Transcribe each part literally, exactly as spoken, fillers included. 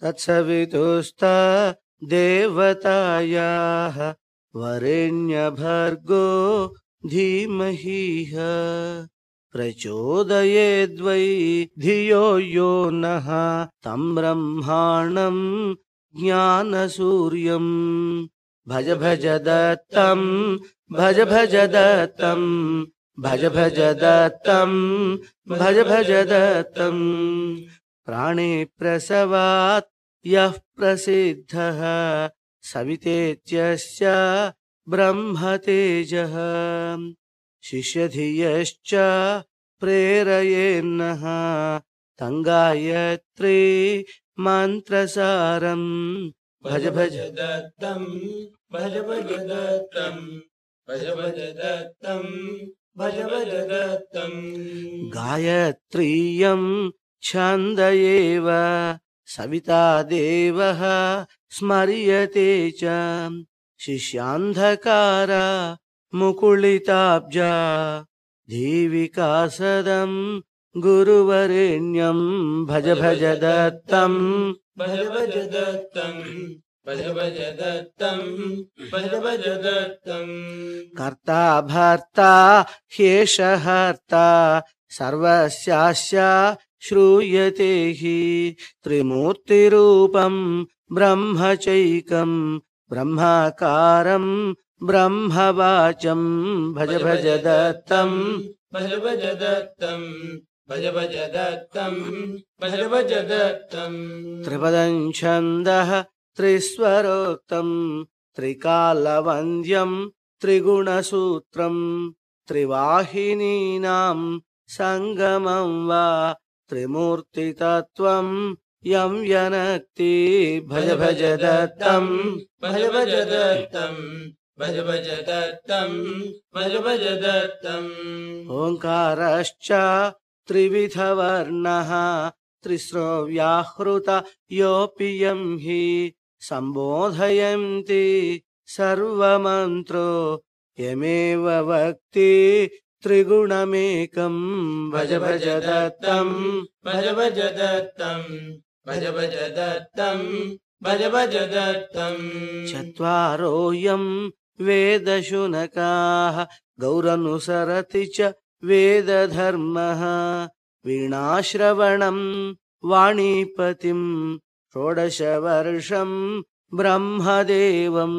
तत्सवितुस्ता देवतायाः वरेण्यभर्गो धीमहि प्रचोदयेद्वै धियो यो नः तं ब्रह्माणं ज्ञानसूर्यम् भज भज दत्तं भज भज दत्तं भज भज दत्तं भज भज दत्तं प्राणे प्रसवात् यः प्रसिद्धः सवितेत्यस्य ब्रह्मतेजः शिष्यधियश्च प्रेरयेन्नः तं गायत्री मन्त्रसारम् भज भज दत्तं भज भज दत्तं भज भज दत्तं भज भज दत्तं गायत्रीयं छन्द एव सविता देवः स्मर्यते च शिष्यान्धकार मुकुलिताब्जा धीविकासदं गुरुवरेण्यं भज भज दत्तं भज भज दत्तं भज भज दत्तं भज भज दत्तं कर्ता भर्ता ह्येषहर्ता सर्वस्यास्य श्रूयते हि त्रिमूर्तिरूपं ब्रह्मचैकं ब्रह्माकारं ब्रह्मवाचं भज भज दत्तं भज भज दत्तं भज भज दत्तं भज भज दत्तं त्रिपदं छन्दः त्रिस्वरोक्तं त्रिकालवन्द्यं त्रिगुणसूत्रं त्रिवाहिनीनां संगमं वा त्रिमूर्तितत्त्वं यं यनक्ति भज भज दत्तं भज भज दत्तं भज भज दत्तं भज भज दत्तं ओंकारश्च त्रिविधवर्णः त्रिस्रो व्याहृत योऽपि यं हि सम्बोधयन्ति सर्वमन्त्रो यमेव वक्ति त्रिगुणमेकं भज भज दत्तं भज भज दत्तं भज भज दत्तं भज भज दत्तं चत्वारोऽयं वेदशुनकाः गौरनुसरति च वेदधर्मः वीणाश्रवणं वाणीपतिं षोडशवर्षं ब्रह्मदेवं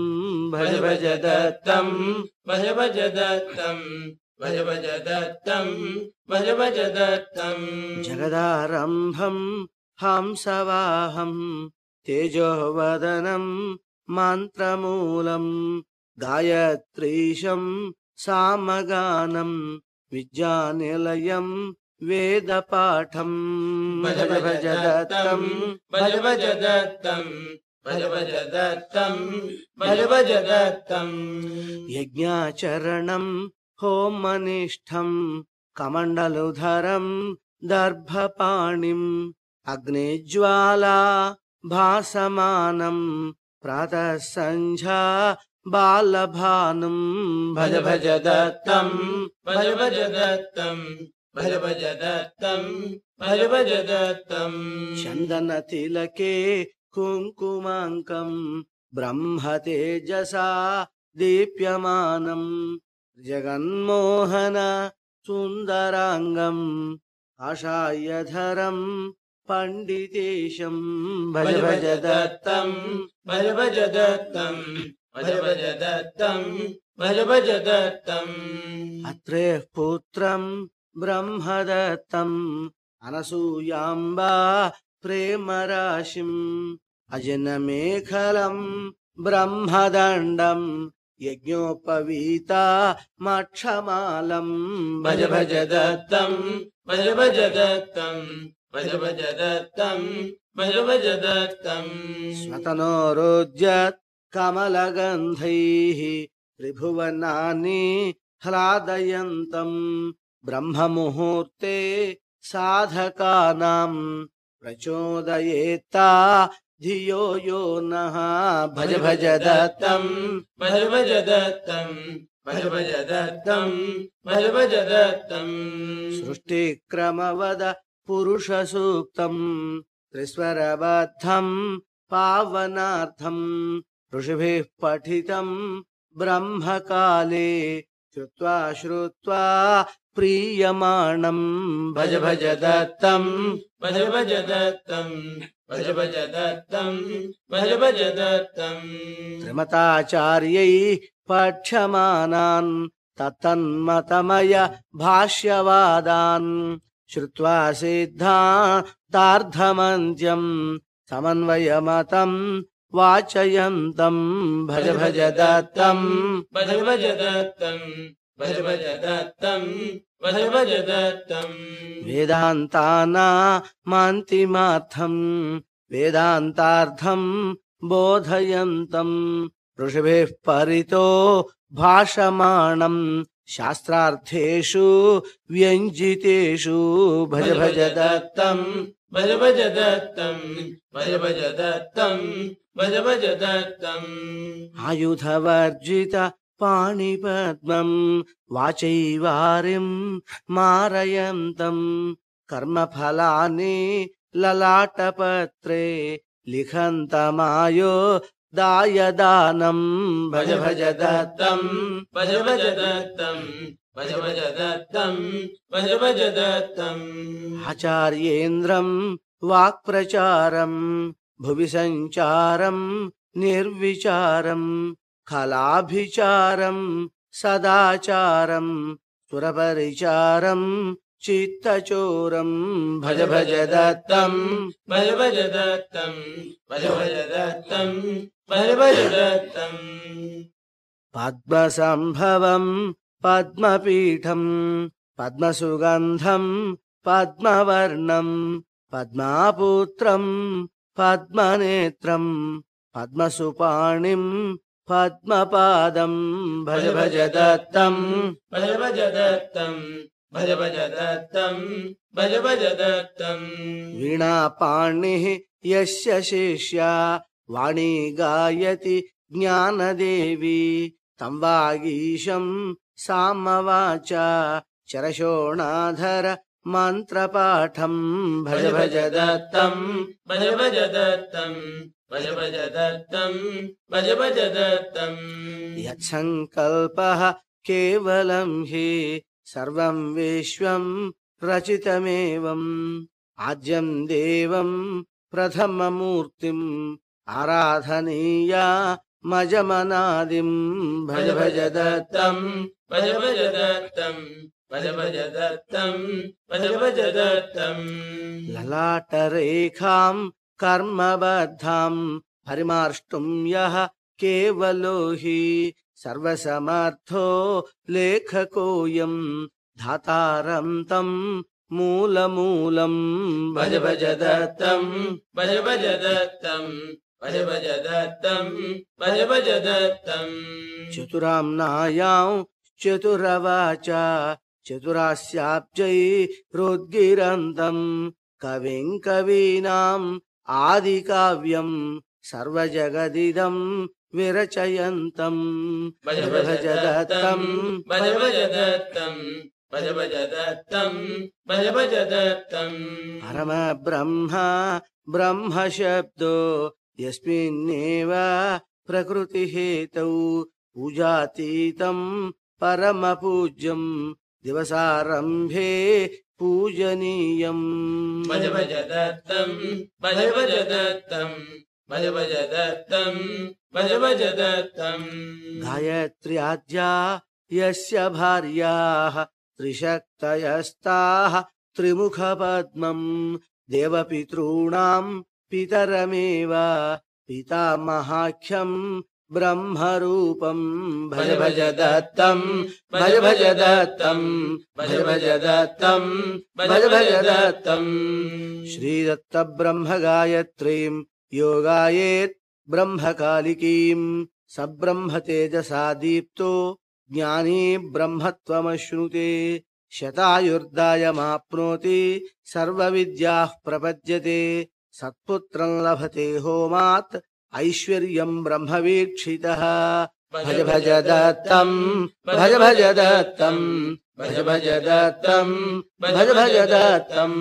भज भज दत्तं भज भज दत्तं भज भज दत्तं भज भज दत्तं जगदारम्भं हंसवाहं तेजोवदनं मन्त्रमूलं गायत्रीशं सामगानं विद्यानिलयं वेदपाठं भज भज दत्तं भज भज दत्तं भज भज दत्तं भज भज दत्तं यज्ञाचरणं होमनिष्ठं कमण्डलुधरं दर्भपाणिम् अग्निज्वाला भासमानं प्रातः सन्ध्या बालभानुं भज भज दत्तं भज भज दत्तं भज भज दत्तं भज भज दत्तं चन्दनतिलके कुङ्कुमाङ्कं ब्रह्मतेजसा दीप्यमानं जगन्मोहन सुन्दराङ्गं आशायधरं पंडितेशं भज भज दत्तं भज भज दत्तं भज भज दत्तं भज भज दत्तं अत्रेः पुत्रं ब्रह्मदत्तं अनसूयाम्बा प्रेमराशिम् अजनमेखलं ब्रह्मदण्डं यज्ञोपवीता मक्षमालं भज भज दत्तं भज भज दत्तं भज भज दत्तं भज भज दत्तं स्वतनोरुज्यत् कमलगन्धैः त्रिभुवनानि ह्लादयन्तं ब्रह्ममुहूर्ते साधकानां प्रचोदयेत्ता धियो यो नः भज भज दत्तं भज भज दत्तं भज भज दत्तं भज भज दत्तं सृष्टिक्रमवद पुरुषसूक्तं त्रिस्वरबद्धं पावनार्थं ऋषिभिः पठितं ब्रह्मकाले श्रुत्वा श्रुत्वा प्रीयमाणं भज भज दत्तं भज भज दत्तं भज भज दत्तं भज भज दत्तं त्रिमताचार्यैः पठ्यमानान् तत्तन्मतमय भाष्यवादान् श्रुत्वा सिद्धान्तार्थमन्त्यं समन्वयमतं वाचयन्तं भज भज दत्तं भज भज दत्तं भज भज दत्तं भज भज दत्तं वेदान्तानामन्तिमार्थं वेदान्तार्थं बोधयन्तं ऋषिभिः परितो भाषमाणं शास्त्रार्थेषु व्यञ्जितेषु भज भज दत्तं भज भज दत्तं भज भज दत्तं भज भज दत्तं आयुधवर्जित पाणिपद्मं वाचैवारिं मारयन्तं कर्मफलानि ललाटपत्रे लिखन्तमायो दायदानं भज भज दत्तं भज भज दत्तं भज भज दत्तं भज भज दत्तं आचार्येन्द्रं वाक्प्रचारं भुवि सञ्चारं निर्विचारं खलाभिचारं सदाचारं सुरपरिचारं चित्तचोरं भज भज दत्तं भज भज दत्तं भज भज दत्तं भज भज दत्तं पद्मसंभवं पद्मपीठं पद्मसुगन्धं पद्मवर्णं पद्मापुत्रं पद्मनेत्रं पद्मसुपाणिं पद्मपादं भज भज दत्तं भज भज दत्तं भज भज दत्तं भज भज दत्तं वीणापाणिः यस्य शिष्या वाणी गायति ज्ञानदेवी तं वागीशं सामवाचा चरशोणाधर मन्त्रपाठं भज भज दत्तं भज भज दत्तं भज भज दत्तं भज भज दत्तं यत्सङ्कल्पः केवलं हि सर्वं विश्वं रचितमेवम् आद्यं देवं प्रथममूर्तिम् आराधनीया मजमनादिं भज भज दत्तं भज भज दत्तं भज भज दत्तं भज भज दत्तं ललाटरेखां कर्मबद्धां परिमार्ष्टुं यः केवलो हि सर्वसमर्थो लेखकोऽयं धातारं तं मूलमूलं भज भज दत्तं भज भज दत्तं भज भज दत्तं भज भज दत्तं चतुराम्नायां चतुरवाचा चतुरास्याब्जैरुद्गिरन्तं कविं कवीनाम् आदिकाव्यं सर्वजगदिदं विरचयन्तं भज भज दत्तं भज भज दत्तं भज भज दत्तं भज भज दत्तं परमब्रह्म ब्रह्मशब्दो यस्मिन्नेव प्रकृतिहेतौ पूजातीतं परमपूज्यं दिवसारम्भे पूजनीयं भज भज दत्तं भज भज दत्तं भज भज दत्तं भज भज दत्तं गायत्र्याद्या यस्य भार्याः त्रिशक्तयस्ताः त्रिमुखपद्मं देवपितॄणां पितरमेव पितामहाख्यं ब्रह्मरूपं भज भज दत्तं भज भज दत्तं भज भज दत्तं भज भज दत्तं श्रीदत्त ब्रह्म गायत्रीं योगायेत् ब्रह्मकालिकीं सब्रह्म तेजसा दीप्तो ज्ञानी ब्रह्मत्वमश्नुते शतायुर्दायमाप्नोति सर्वविद्याः प्रपद्यते सत्पुत्रं लभते होमात् ऐश्वर्यं ब्रह्मवीक्षितः भज भज दत्तं भज भज दत्तं भज भज दत्तं भज भज दत्तं